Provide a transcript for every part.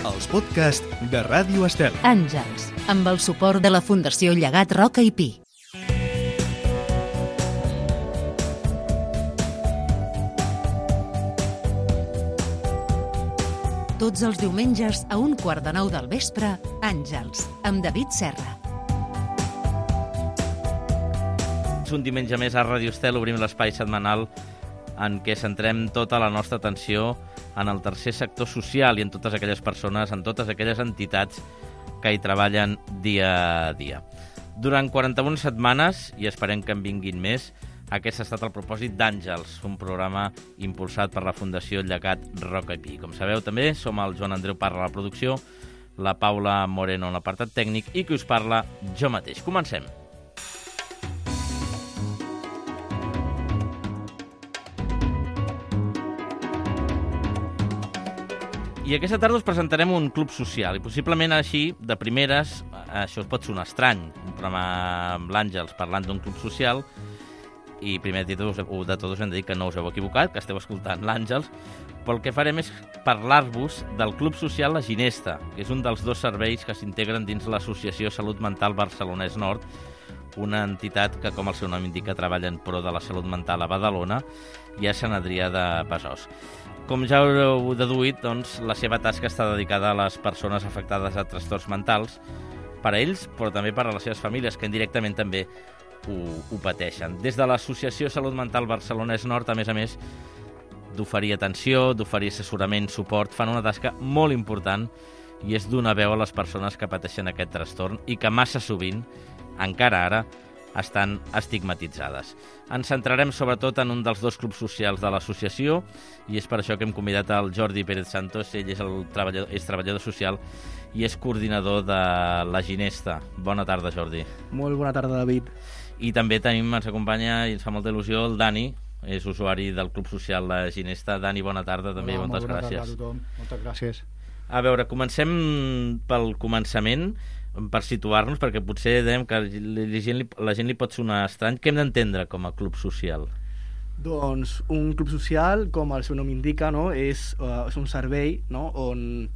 els podcasts de Ràdio Estel. Àngels, amb el suport de la Fundació Llegat Roca i Pi. Tots els diumenges a 8:45 del vespre, Àngels, amb David Serra. Un diumenge més a Ràdio Estel obrim l'espai setmanal en què centrem tota la nostra atenció en el tercer sector social i en totes aquelles persones, en totes aquelles entitats que hi treballen dia a dia. Durant 41 setmanes, i esperem que en vinguin més, aquest ha estat el propòsit d'Àngels, un programa impulsat per la Fundació Llegat Roca i Pi. Com sabeu, també som el Joan Andreu Parra a la producció, la Paula Moreno en l'apartat tècnic i qui us parla, jo mateix. Comencem. I aquesta tarda us presentarem un club social i possiblement així, de primeres, això us pot sonar estrany, un programa amb l'Àngels parlant d'un club social i primer de tot us hem de dir que no us heu equivocat, que esteu escoltant l'Àngels, però el que farem és parlar-vos del Club Social La Ginesta, que és un dels dos serveis que s'integren dins l'Associació Salut Mental Barcelonès Nord, una entitat que, com el seu nom indica, treballa en pro de la salut mental a Badalona i a Sant Adrià de Besòs. Com ja haureu deduït, doncs, la seva tasca està dedicada a les persones afectades a trastorns mentals, per a ells, però també per a les seves famílies, que indirectament també ho pateixen. Des de l'Associació Salut Mental Barcelonès Nord, a més, d'oferir atenció, d'oferir assessorament, suport, fan una tasca molt important i és donar veu a les persones que pateixen aquest trastorn i que massa sovint, encara ara, estan estigmatitzades. Ens centrarem sobretot en un dels dos clubs socials de l'associació i és per això que hem convidat el Jordi Pérez Santos. Ell és treballador social i és coordinador de La Ginesta. Bona tarda, Jordi. Molt bona tarda, David. I també ens acompanya, i ens fa molta il·lusió, el Dani, és usuari del Club Social La Ginesta. Dani, bona tarda també. Hola, moltes gràcies. Bona tarda a tothom. Moltes gràcies. A veure, comencem pel començament, per situar-nos, perquè potser dèiem que la gent li pot sonar estrany. Què hem d'entendre com a club social? Doncs un club social, com el seu nom indica, no? és un servei, no? On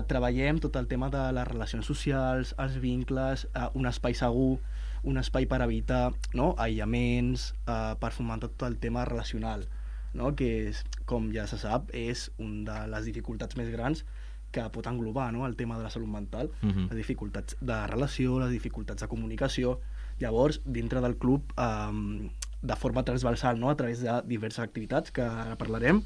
treballem tot el tema de les relacions socials, els vincles, un espai segur, un espai per evitar, no? aïllaments, per fomentar tot el tema relacional, no? Que és, com ja se sap, és una de les dificultats més grans que pot englobar, no? El tema de la salut mental, les dificultats de relació, les dificultats de comunicació. Llavors, dintre del club, de forma transversal, no? A través de diverses activitats que ara parlarem,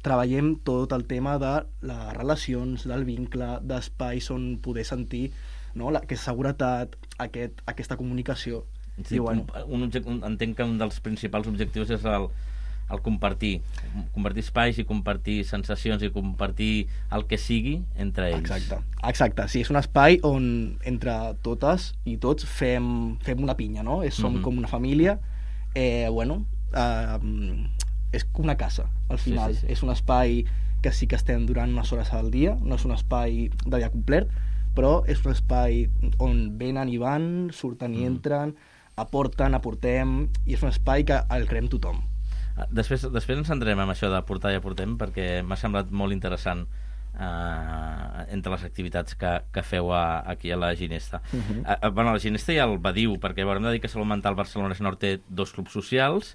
treballem tot el tema de les relacions, del vincle, d'espais on poder sentir, no? Aquesta seguretat, aquesta comunicació. Sí, i, bueno, entenc que un dels principals objectius és el compartir espais i compartir sensacions i compartir el que sigui entre ells. Exacte. Sí, és un espai on entre totes i tots fem una pinya, no? Som com una família, és com una casa, al final. Sí. És un espai que sí que estem durant unes hores al dia, no és un espai de dia complet, però és un espai on venen i van, surten i entren, aportem, i és un espai que el creem tothom. Després ens centrem en això d'aportar i aportem, perquè m'ha semblat molt interessant entre les activitats que feu aquí a la Ginesta. A la Ginesta hi ha el Badiu, perquè hem de dir que Salut Mental Barcelonès Nord té dos clubs socials,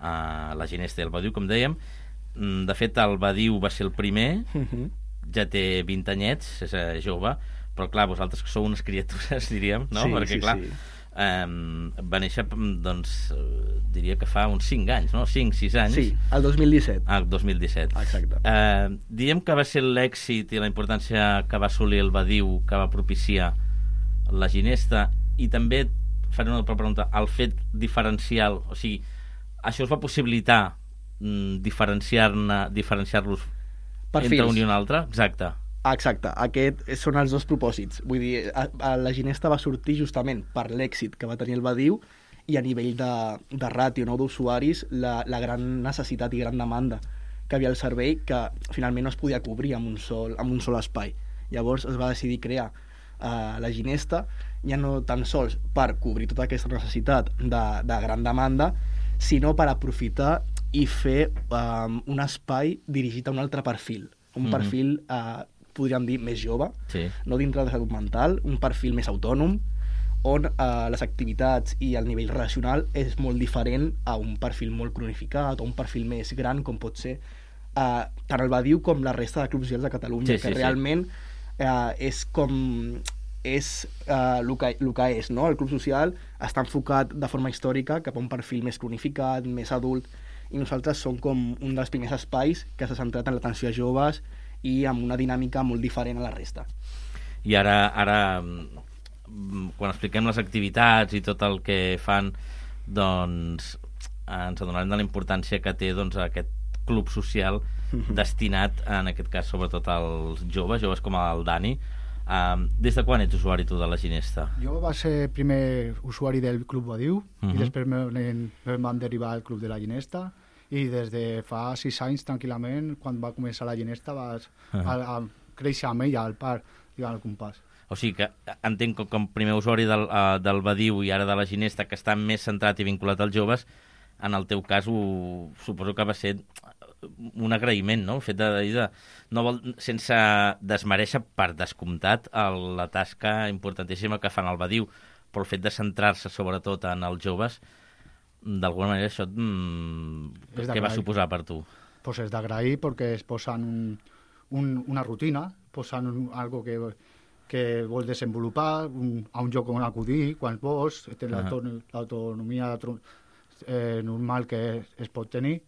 la Ginesta i el Badiu, com dèiem. De fet, el Badiu va ser el primer, ja té 20 anyets, és jove, però clar, vosaltres que sou unes criatures, diríem, no? Perquè clar, va néixer, doncs, diria que fa uns 5 anys, no? 5-6 anys. Sí, el 2017. El 2017. Exacte. Diem que va ser l'èxit i la importància que va assolir el Badiu, que va propiciar la Ginesta, i també, faré una altra pregunta, el fet diferencial, o sigui, això us va possibilitar diferenciar-los entre un i un altre? Exacte. Aquests són els dos propòsits. Vull dir, la Ginesta va sortir justament per l'èxit que va tenir el Badiu i a nivell de ràtio, no, d'usuaris, la gran necessitat i gran demanda que havia el servei, que finalment no es podia cobrir amb un sol espai. Llavors es va decidir crear la Ginesta, ja no tan sols per cobrir tota aquesta necessitat de gran demanda, sinó per aprofitar i fer un espai dirigit a un altre perfil, un perfil podríem dir, més jove, Sí. no dintre de salut mental, un perfil més autònom, on les activitats i el nivell relacional és molt diferent a un perfil molt cronificat o un perfil més gran, com pot ser tant el Badiu com la resta de clubs socials de Catalunya, que realment és com és el que és, no? El club social està enfocat de forma històrica cap a un perfil més cronificat, més adult, i nosaltres som com un dels primers espais que s'ha centrat en l'atenció a joves i amb una dinàmica molt diferent a la resta. I ara quan expliquem les activitats i tot el que fan, doncs ens adonarem de la importància que té doncs, aquest club social destinat, en aquest cas, sobretot als joves com el Dani. Des de quan ets usuari tu de la Ginesta? Jo va ser primer usuari del Club Badiu i després em van derivar al Club de la Ginesta, i des de fa 6 anys, tranquil·lament, quan va començar la Ginesta, vas a créixer amb ella al parc, al compàs. O sigui que entenc que com primer usuari del Badiu i ara de la Ginesta, que està més centrat i vinculat als joves, en el teu cas suposo que va ser un agraïment, no? El fet sense desmereixer per descomptat la tasca importantíssima que fan al Badiu, però el fet de centrar-se sobretot en els joves, d'alguna manera això què va suposar per tu? Pues és d'agrair perquè es posen una rutina, posen algo que vols desenvolupar, a un lloc on acudir, quan vols, tens l'autonomia normal que es pot tenir,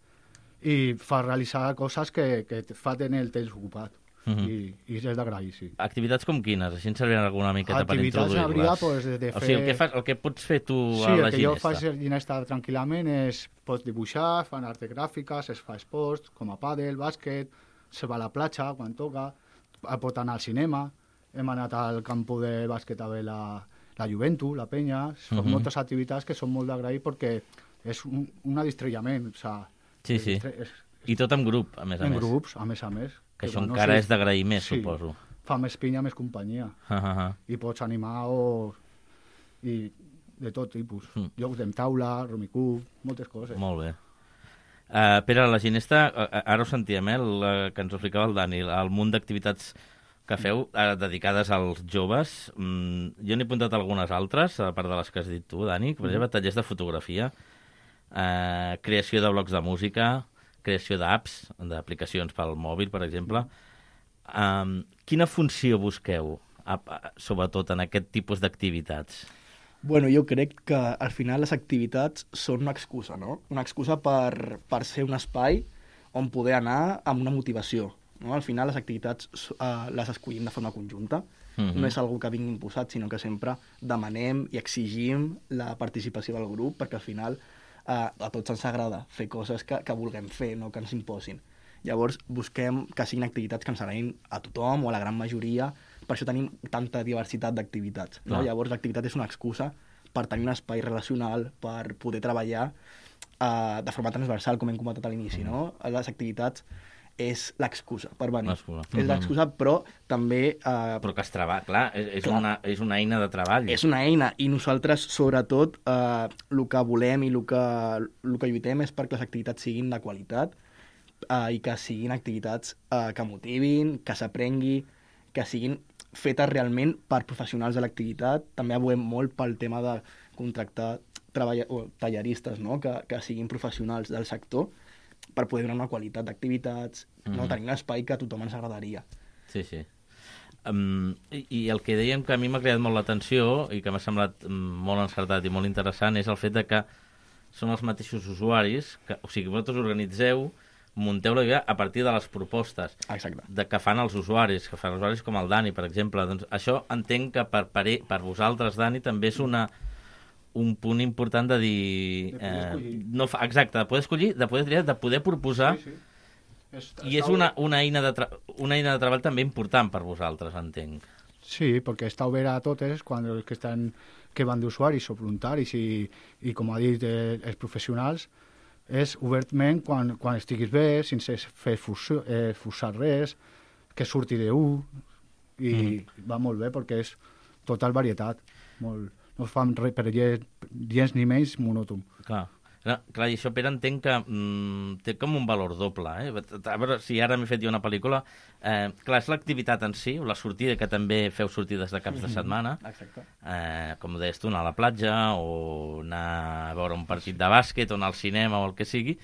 i fa realitzar coses que et fa tenir el temps ocupat. I és d'agrair, sí. Activitats com quines? Així ens serviran alguna miqueta per introduir-les. Activitats pues, de fer... O sigui, el que pots fer tu a la Ginesta. Sí, el que jo faig a la Ginesta tranquil·lament és pots dibuixar, fan arts gràfiques, es fa esports, com a pàdel, bàsquet, se va a la platja quan toca, pot anar al cinema, hem anat al campo de bàsquet a veure la Juventus, la Penya, són moltes activitats que són molt d'agrair perquè és un distrellament, o sigui... Sí. I tot en grup, a més a més. En grups, a més. Que això encara és d'agrair més, suposo. Fa més pinya, més companyia. I pots animar i de tot tipus. Jocs de taula, rumicub, moltes coses. Molt bé. Pere, la Ginesta, ara ho sentíem, que ens ho explicava el Dani, el munt d'activitats que feu dedicades als joves. Jo n'he apuntat algunes altres, a part de les que has dit tu, Dani, per exemple, tallers de fotografia, creació de blocs de música, creació d'apps, d'aplicacions pel mòbil, per exemple. Quina funció busqueu, sobretot en aquest tipus d'activitats? Bueno, jo crec que al final les activitats són una excusa, no? Una excusa per ser un espai on poder anar amb una motivació. No? Al final les activitats les escollim de forma conjunta, no és algo que vingui imposat, sinó que sempre demanem i exigim la participació del grup, perquè al final a tots ens agrada fer coses que vulguem fer, no que ens imposin. Llavors busquem que siguin activitats que ens agradin a tothom o a la gran majoria, per això tenim tanta diversitat d'activitats. No? Llavors l'activitat és una excusa per tenir un espai relacional, per poder treballar de forma transversal, com hem comentat a l'inici. No? Les activitats és l'excusa per venir. És l'excusa, però també... Però que es treballa, clar, és una eina de treball. És una eina, i nosaltres, sobretot, el que volem i el que lluitem és perquè les activitats siguin de qualitat i que siguin activitats que motivin, que s'aprengui, que siguin fetes realment per professionals de l'activitat. També aboguem molt pel tema de contractar talleristes, no? que siguin professionals del sector, per poder donar una qualitat d'activitats, no? Tenir un espai que a tothom ens agradaria. Sí. I el que dèiem que a mi m'ha creat molt l'atenció i que m'ha semblat molt encertat i molt interessant és el fet de que són els mateixos usuaris, o sigui, vosaltres organitzeu, munteu la idea a partir de les propostes que fan els usuaris, com el Dani, per exemple. Doncs això entenc que per vosaltres, Dani, també és un punt important de dir... Exacte, de poder escollir, de poder triar, de poder proposar. Sí. I és una eina de treball també important per vosaltres, entenc. Sí, perquè està obert a totes, quan els que van d'usuaris o voluntaris i com ha dit, els professionals, és obertament quan estiguis bé, sense fer forçar res, que surti d'un, i va molt bé perquè és total varietat, molt... No fan res per gens ni menys monòton. Clar. Clar, i això, Pere, entenc que té com un valor doble. A veure si ara m'he fet jo una pel·lícula. Clar, és l'activitat en si, o la sortida, que també feu sortides de caps de setmana. Exacte. Com deies tu, anar a la platja, o anar a veure un partit de bàsquet, o anar al cinema, o el que sigui,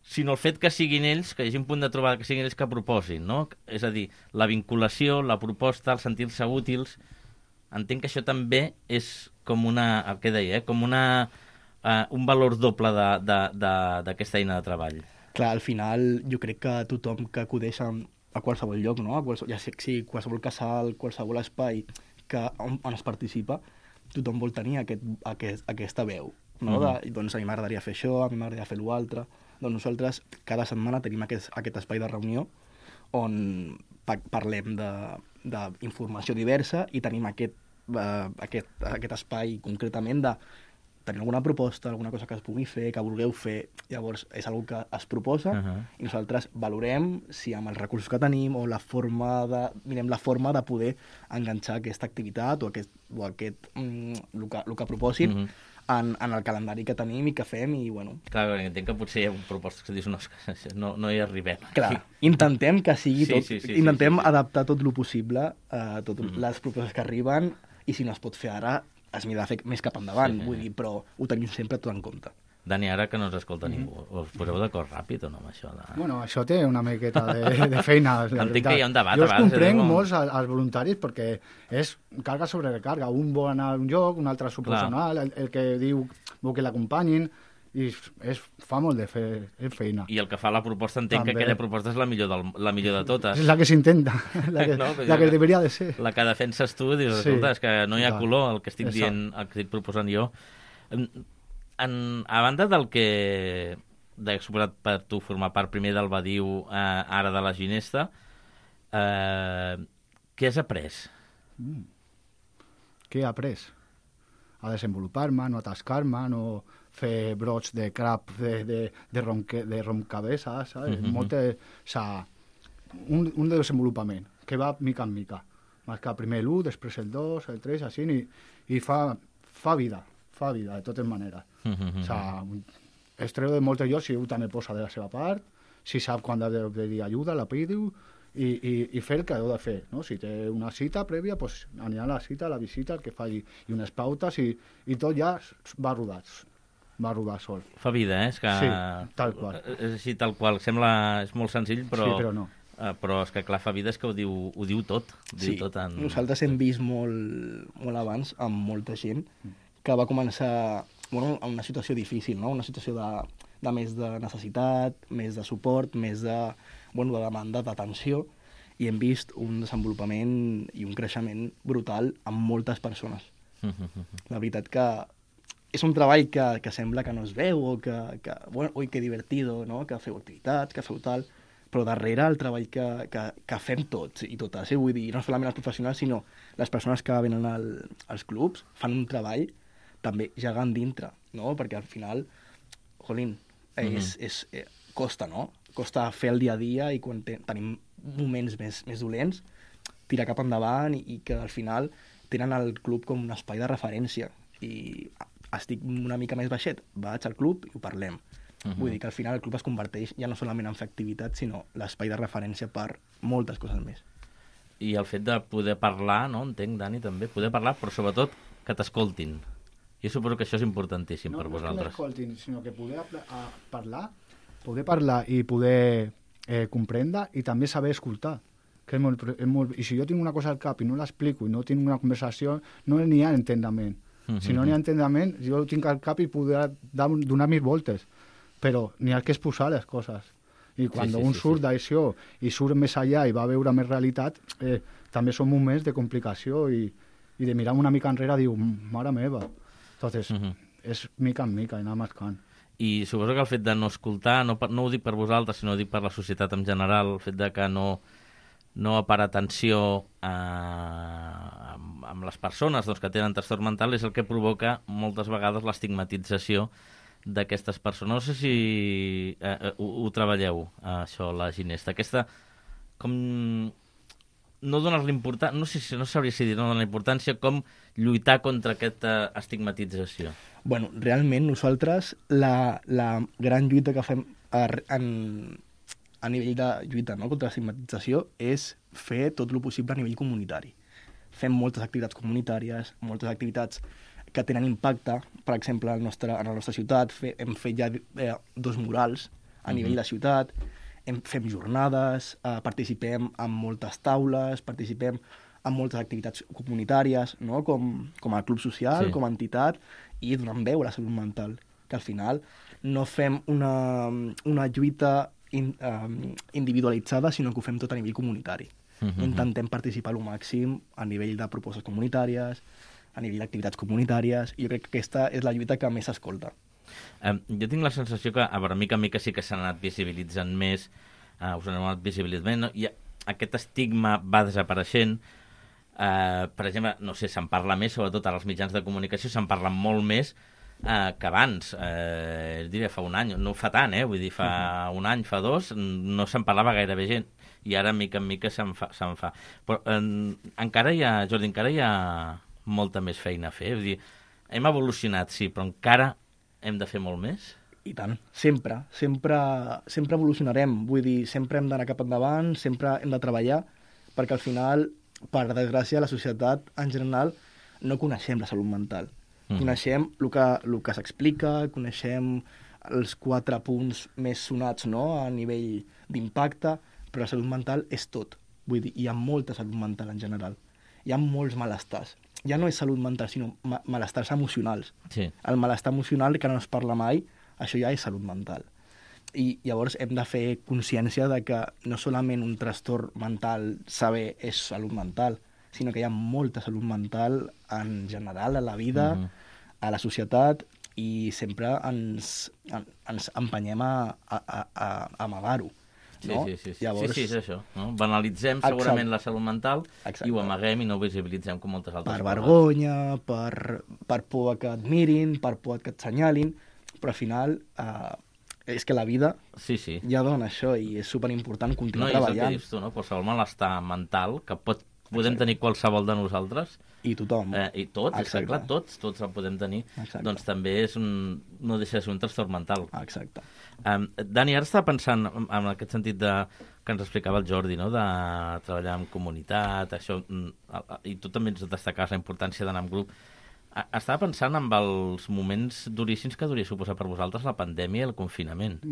sinó el fet que siguin ells, que hi hagi un punt de trobada, que siguin ells que proposin, no? És a dir, la vinculació, la proposta, el sentir-se útils. Entenc que això també és com una, el que deia, com una... un valor doble d'aquesta eina de treball. Clar, al final jo crec que tothom que acudeix a qualsevol lloc, no? Ja sé que sí, qualsevol casal, qualsevol espai on es participa, tothom vol tenir aquesta veu, no? Doncs a mi m'agradaria fer això, a mi m'agradaria fer l'altre. Doncs nosaltres cada setmana tenim aquest espai de reunió on parlem d'informació diversa i tenim aquest espai concretament de tenir alguna proposta, alguna cosa que es pugui fer, que vulgueu fer. Llavors, és una que es proposa i nosaltres valorem si amb els recursos que tenim o mirem la forma de poder enganxar aquesta activitat o el que proposin en el calendari que tenim i que fem i, bueno... Clar, entenc que potser hi ha propostes que dius no hi arribem. Clar, intentem que sigui tot... Intentem adaptar tot el possible a totes les propostes que arriben i si no es pot fer ara es mira de fer més cap endavant, vull dir, però ho tenim sempre tot en compte. Dani, ara que no ens escolta ningú, us poseu d'acord ràpid o no amb això? Bueno, això té una miqueta de feina. Entenc que hi ha un debat. Jo els comprenc molts als voluntaris perquè és carga sobre recarga. Un vol anar a un lloc, un altre s'ho posa anar, el que diu vol que l'acompanyin, i fa molt de feina. I el que fa la proposta, entenc que aquella proposta és la millor de totes. És la que s'intenta, la que deberia de ser. La que defenses tu, dius, escolta, és que no hi ha color el que estic dient, el que estic proposant jo. A banda del que he suposat per tu formar part primer del Badiu, ara de la Ginesta, què has après? Què he après? A desenvolupar-me, no atascar-me, no fer brots de crap de rompcabezas, ¿sabes? Un desenvolupament que va mica en mica. Marcar primer l'1, després el 2, el 3, així, i fa vida de totes maneres. Es treu de moltes llocs si un també posa de la seva part, si sap quan ha de pedir ajuda, la pidiu, i fer el que heu de fer, no? Si té una cita prèvia, doncs anirà a la cita, a la visita, el que faci, i unes pautes, i tot ja va rodar sol. Fa vida, és que... Sí, tal qual. És així, tal qual. Sembla... És molt senzill, però... Sí, però no. Però és que, clar, fa vida és que ho diu tot. Nosaltres hem vist molt abans amb molta gent que va començar en una situació difícil, no? Una situació de més de necessitat, més de suport, més de demanda d'atenció, i hem vist un desenvolupament i un creixement brutal amb moltes persones. La veritat que és un treball que sembla que no es veu o ui, que divertido, no? Que feu activitats, que feu tal, però darrere el treball que fem tots i totes, vull dir, no solament els professionals, sinó les persones que venen als clubs fan un treball també gegant dintre, no? Perquè al final, jolín, costa, no? Costa fer el dia a dia i quan tenim moments més dolents, tirar cap endavant i que al final tenen el club com un espai de referència i estic una mica més baixet, vaig al club i ho parlem. Vull dir que al final el club es converteix ja no solament en fer activitat, sinó l'espai de referència per moltes coses més. I el fet de poder parlar, no? Entenc, Dani, també, poder parlar, però sobretot que t'escoltin. Jo suposo que això és importantíssim per vosaltres. No que m'escoltin, sinó que poder parlar i poder comprendre i també saber escoltar. Que és molt... I si jo tinc una cosa al cap i no l'explico i no tinc una conversació, no n'hi ha entendament. Si no n'hi ha entendament, jo ho tinc al cap i poder donar mil voltes. Però n'hi ha que exposar les coses. I quan un surt d'això i surt més allà i va a veure més realitat, també són moments de complicació i de mirar una mica enrere i diu, mare meva. Entonces, és mica en mica i anar mascant. I suposo que el fet de no escoltar, no ho dic per vosaltres, sinó ho dic per la societat en general, el fet de que no parar atenció amb les persones que tenen trastorn mental és el que provoca moltes vegades l'estigmatització d'aquestes persones. No sé si ho treballeu, això, la Ginesta. Aquesta, com... no donar-li importància, no sabria si dir no donar importància, com lluitar contra aquesta estigmatització? Bueno, realment nosaltres la gran lluita que fem a nivell de lluita, no, contra l'estigmatització és fer tot el possible a nivell comunitari. Fem moltes activitats comunitàries, moltes activitats que tenen impacte. Per exemple, en la nostra ciutat hem fet ja 2 murals a nivell de ciutat, fem jornades, participem en moltes taules, participem en moltes activitats comunitàries, no? com a club social, com a entitat, i donant veu a la salut mental, que al final no fem una lluita individualitzada, sinó que ho fem tot a nivell comunitari. Intentem participar al màxim a nivell de propostes comunitàries, a nivell d'activitats comunitàries, i jo crec que aquesta és la lluita que més s'escolta. Jo tinc la sensació que a mica en mica sí que s'han anat visibilitzant més, us han anat visibilitzant, no? I aquest estigma va desapareixent. Per exemple, no sé, se'n parla més, sobretot als mitjans de comunicació, se'n parla molt més que abans, diria fa un any, no fa tant, vull dir, fa un any, fa 2, no se'n parlava gairebé gent, i ara mica en mica se'n fa. Però encara hi ha molta més feina a fer, vull dir, hem evolucionat, sí, però encara hem de fer molt més? I tant, sempre evolucionarem, vull dir, sempre hem d'anar cap endavant, sempre hem de treballar, perquè al final, per desgràcia, la societat en general no coneixem la salut mental. Coneixem el que s'explica, coneixem els 4 punts més sonats, no?, a nivell d'impacte, però la salut mental és tot. Vull dir, hi ha molta salut mental en general. Hi ha molts malestars. Ja no és salut mental, sinó malestars emocionals. Sí. El malestar emocional, que no es parla mai, això ja és salut mental. I llavors hem de fer consciència de que no solament un trastorn mental saber és salut mental, sinó que hi ha molta salut mental en general a la vida, a la societat, i sempre ens empenyem a amagar-ho. No? Sí. Llavors... Sí, és això. No? Banalitzem segurament la salut mental. Exacte. I ho amaguem i no ho visibilitzem com moltes altres coses. Per vergonya, per por que et mirin, per por que et senyalin, però al final és que la vida ja dona això i és superimportant continuar treballant. No, és el que dius tu, no? Qualsevol malestar mental que podem tenir qualsevol de nosaltres. I tothom. I tots, clar, tots el podem tenir. Exacte. Doncs també no deixa de ser un trastorn mental. Exacte. Dani, ara estava pensant en aquest sentit que ens explicava el Jordi, no? De treballar en comunitat, això, i tu també ens destacaves la importància d'anar en grup. Estava pensant en els moments duríssims que hauria suposat per vosaltres la pandèmia i el confinament.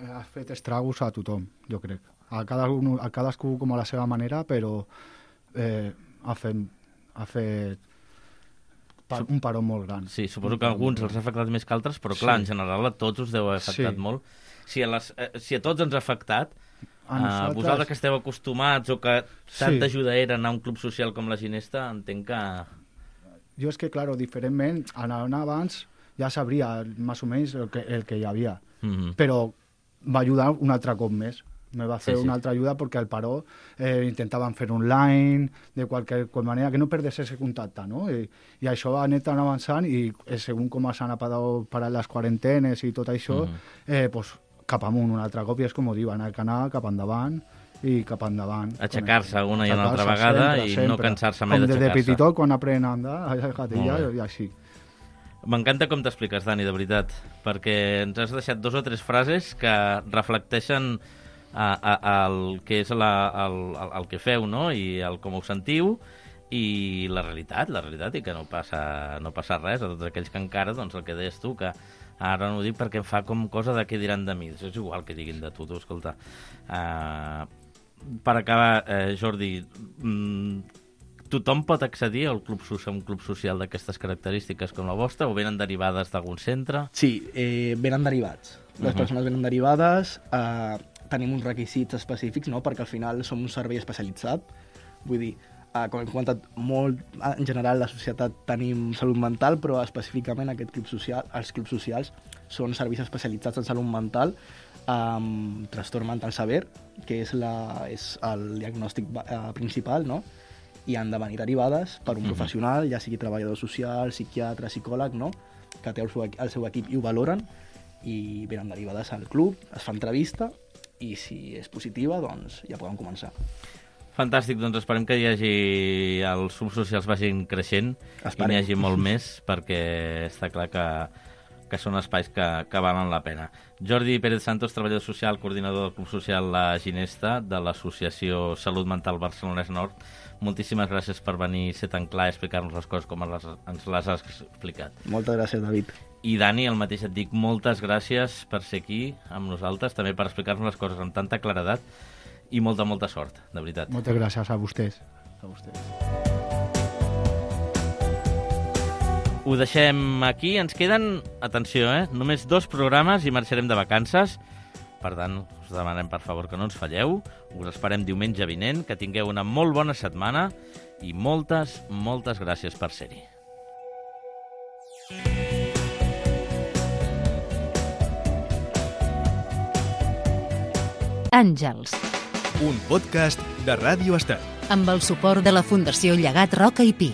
Ha fet estragos a tothom, jo crec. A cadascú com a la seva manera, però ha fet un paró molt gran. Sí, suposo que a alguns els ha afectat més que altres, però clar, en general a tots us deu haver afectat molt. Si a tots ens ha afectat, vosaltres que esteu acostumats o que tanta ajuda era anar a un club social com la Ginesta, entenc que... Jo és que, claro, diferentment, anant abans ja sabria més o menys el que hi havia, però va ajudar un altre cop més. Me va fer una altra ajuda perquè el paró intentaven fer online, de qualsevol manera, que no perdés ese contacte, no? I això va anat avançant i segons com s'han parat les quarantenes i tot això, pues, cap amunt un altre cop, i és com ho diuen, el canal cap endavant i cap endavant. Aixecar-se una i una altra vegada sempre. No cansar-se mai d'aixecar-se. Com de petitó, quan aprenen a andar, i així. M'encanta com t'expliques, Dani, de veritat, perquè ens has deixat 2 o 3 frases que reflecteixen el que és el que feu, no? I el com ho sentiu, i la realitat, i que no passa res a tots aquells que encara, doncs el que deies tu, que ara no ho dic perquè em fa com cosa de què diran de mi. És igual que diguin de tu, escolta. Per acabar, Jordi, tothom pot accedir a un club social d'aquestes característiques com la vostra, o venen derivades d'algun centre? Sí, venen derivats. Les persones venen derivades, tenim uns requisits específics, no? Perquè al final som un servei especialitzat. Vull dir, com hem comentat molt, en general la societat tenim salut mental, però específicament aquest club social, els clubs socials són serveis especialitzats en salut mental, trastorn mental sever, que és el diagnòstic principal, no? I han de venir derivades per un professional, ja sigui treballador social, psiquiatre, psicòleg, no? Que té el seu equip i ho valoren, i venen derivades al club, es fa entrevista, i si és positiva, doncs ja poden començar. Fantàstic, doncs esperem que hi hagi... els clubs socials vagin creixent i n'hi hagi molt més, perquè està clar que són espais que valen la pena. Jordi Pérez Santos, treballador social, coordinador del Club Social La Ginesta, de l'Associació Salut Mental Barcelonès Nord, moltíssimes gràcies per venir, ser tan clar i explicar-nos les coses com ens les has explicat. Moltes gràcies, David. I Dani, el mateix et dic, moltes gràcies per ser aquí amb nosaltres, també per explicar-nos les coses amb tanta claredat i molta sort, de veritat. Moltes gràcies a vostès. Ho deixem aquí, ens queden, atenció, només 2 programes i marxarem de vacances. Per tant, us demanem per favor que no ens falleu. Us esperem diumenge vinent, que tingueu una molt bona setmana i moltes gràcies per ser-hi. Àngels, un podcast de Ràdio Estel. amb el suport de la Fundació Llegat Roca i Pi.